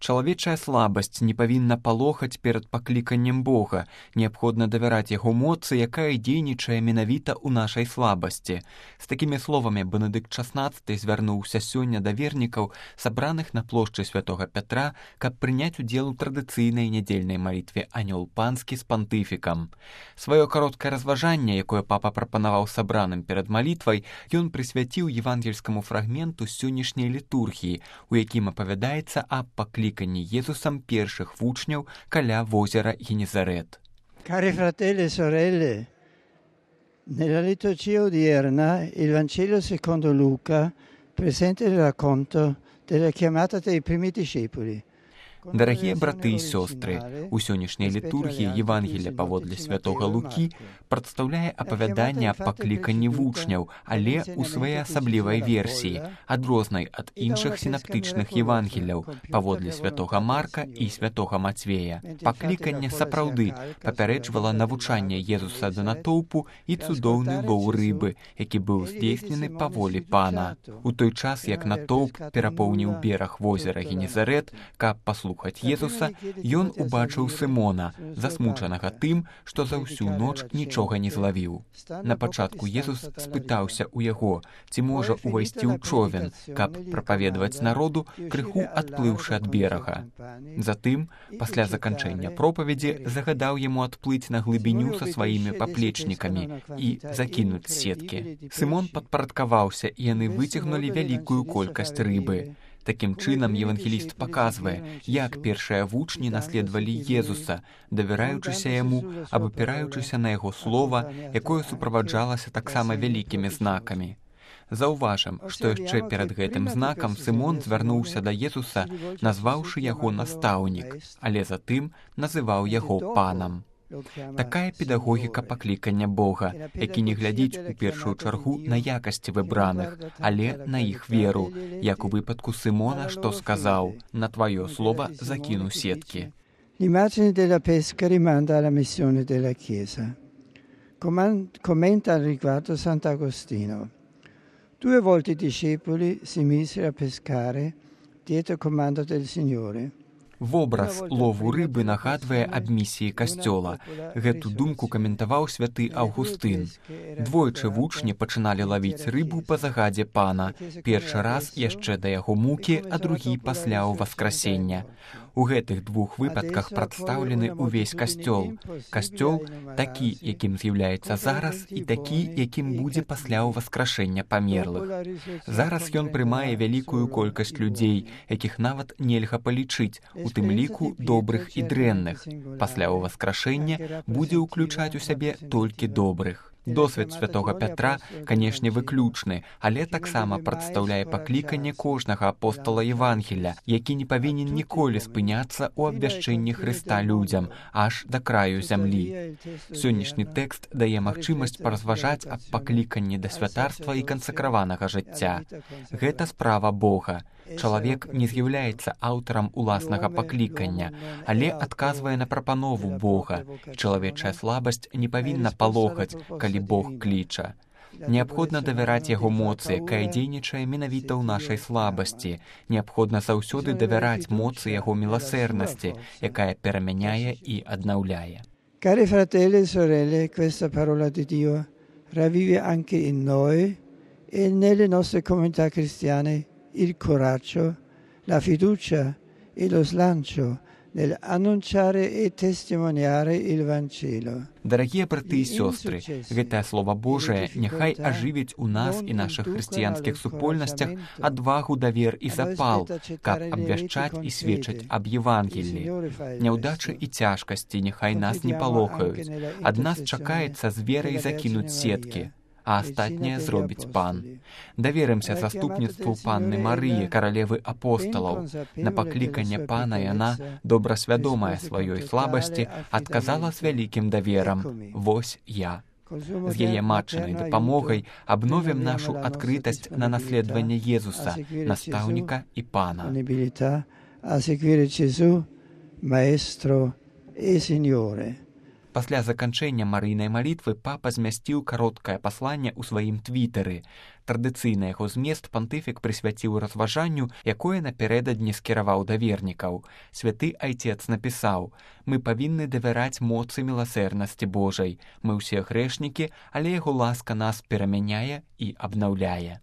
Чалавечая слабасць не павінна палохаць перад пакліканнем Бога. Неабходна давяраць яго моцы, якая дзейнічае менавіта ў нашай слабасці. З такімі словамі Бенедыкт XVI звярнуўся сёння да вернікаў, сабраных на плошчы святога Пятра, каб прыняць удзел у традыцыйнай нядзельнай малітве «Анёл панскі» з пантыфікам. Сваё кароткае разважанне, якое папа прапанаваў сабраным перад малітвай, ён прысвяціў евангельскаму фрагменту сённяшняй літургіі, у якім апавядаецца аб пакліканні Jesусам першых вучняў каля возера Генезарет. Cari fratelli e sorelle, nella liturgia odierna il Vangelo secondo Luca presenta il racconto della chiamata dei primi discepoli. Дарагія браты і сёстры, у сённяшняй літургіі Евангелія паводле святога Лукі прадстаўляе апавяданне аб пакліканні вучняў, але ў сваёй асаблівай версіі, адрознай ад іншых сінаптычных Евангеляў паводле святога Марка і святога Мацвея. Пакліканне сапраўды папярэджвала навучанне Езуса да натоўпу і цудоўны лоў рыбы, які быў здзейснены па волі Пана. У той час, як натоўп перапоўніў бераг возера Генезарет, каб паслухаць Езуса, ён убачыў Сымона, засмучанага тым, што за ўсю ноч нічога не злавіў. На пачатку Езус спытаўся ў яго, ці можа ўвайсці ў човен, каб прапаведаваць народу, крыху адплыўшы ад берага. Затым, пасля заканчэння пропаведзі, загадаў яму адплыць на глыбіню са сваімі паплечнікамі і закінуць сеткі. Сымон падпарадкаваўся, і яны выцягнулі вялікую колькасць рыбы. Такім чынам евангеліст паказвае, як першыя вучні наследавалі Езуса, давяраючыся яму, абапіраючыся на яго слова, якое суправаджалася таксама вялікімі знакамі. Заўважым, што яшчэ перад гэтым знакам Сымон звярнуўся да Езуса, назваўшы яго настаўнік, але затым называў яго панам. Такая педагогіка паклікання Бога, які не глядзіць у першую чаргу на якасці выбраных, але на іх веру, як у выпадку Сымона, што сказаў: «На твоё слово закіну сеткі». L'immagine della pesca rimanda alla missione della Chiesa. Commenta al riguardo Sant'Agostino. 2 volte i discepoli si misero a pescare dietro comando del Signore. Вобраз лову рыбы нагадвае аб місіі касцёла. Гэту думку каментаваў святы Аўгустын. Двойчы вучні пачыналі лавіць рыбу па загадзе Пана. Першы раз яшчэ да яго мукі, а другі пасля ўваскрасення. У гэтых двух выпадках прадстаўлены ўвесь касцёл. Касцёл такі, якім з'яўляецца зараз, і такі, якім будзе пасля ўваскрашэння памерлых. Зараз ён прымае вялікую колькасць людзей, якіх нават нельга палічыць, у тым ліку добрых і дрэнных. Пасля ўваскрашэння будзе ўключаць у сябе толькі добрых. Досвед святога Пятра, канешне, выключны, але таксама прадстаўляе пакліканне кожнага апостала Евангеля, які не павінен ніколі спыняцца ў абвяшчэнні Хрыста людзям, аж да краю зямлі. Сённяшні тэкст дае магчымасць паразважаць аб пакліканні да святарства і кансакраванага жыцця. Гэта справа Бога. Чалавек не з'яўляецца аўтарам уласнага паклікання, але адказвае на прапанову Бога. Чалавечая слабасць не павінна палохаць, калі Бог кліча. Неабходна давяраць яго моцы, якая дзейнічае менавіта ў нашай слабасці. Неабходна заўсёды давяраць моцы яго міласэрнасці, якая перамяняе і аднаўляе. Cari fratelli e sorelle, questa parola di Dio ravvive anche in noi e nelle nostre comunità cristiane il coraggio, la fiducia e lo slancio nell'annunciare e testimoniare il Vangelo. Дарагія браты і сёстры, гэтае Слова Божае няхай ажывіць у нас і нашых хрысціянскіх супольнасцях адвагу, давер і запал, каб абвяшчаць і сведчаць аб Евангеллі. Няўдачы і цяжкасці няхай нас не палохаюць. Ад нас чакаецца з верай закінуць сеткі, а астатняе зробіць Пан. Даверымся заступніцтву Панны Марыі, каралевы апосталаў. На пакліканне Пана яна, добра свядомая сваёй слабасці, адказала з вялікім даверам: «Вось я». З яе матчынай дапамогай абновім нашу адкрытасць на наследаванне Езуса, настаўніка і Пана. A seguire Gesù, Maestro e Signore. Пасля заканчэння Марыйнай малітвы папа змясціў кароткае пасланне ў сваім твітары. Традыцыйны яго змест пантыфік прысвяціў разважанню, якое напярэдадні скіраваў да вернікаў. Святы айцец напісаў: «Мы павінны давяраць моцы міласэрнасці Божай. Мы ўсе грэшнікі, але яго ласка нас перамяняе і абнаўляе».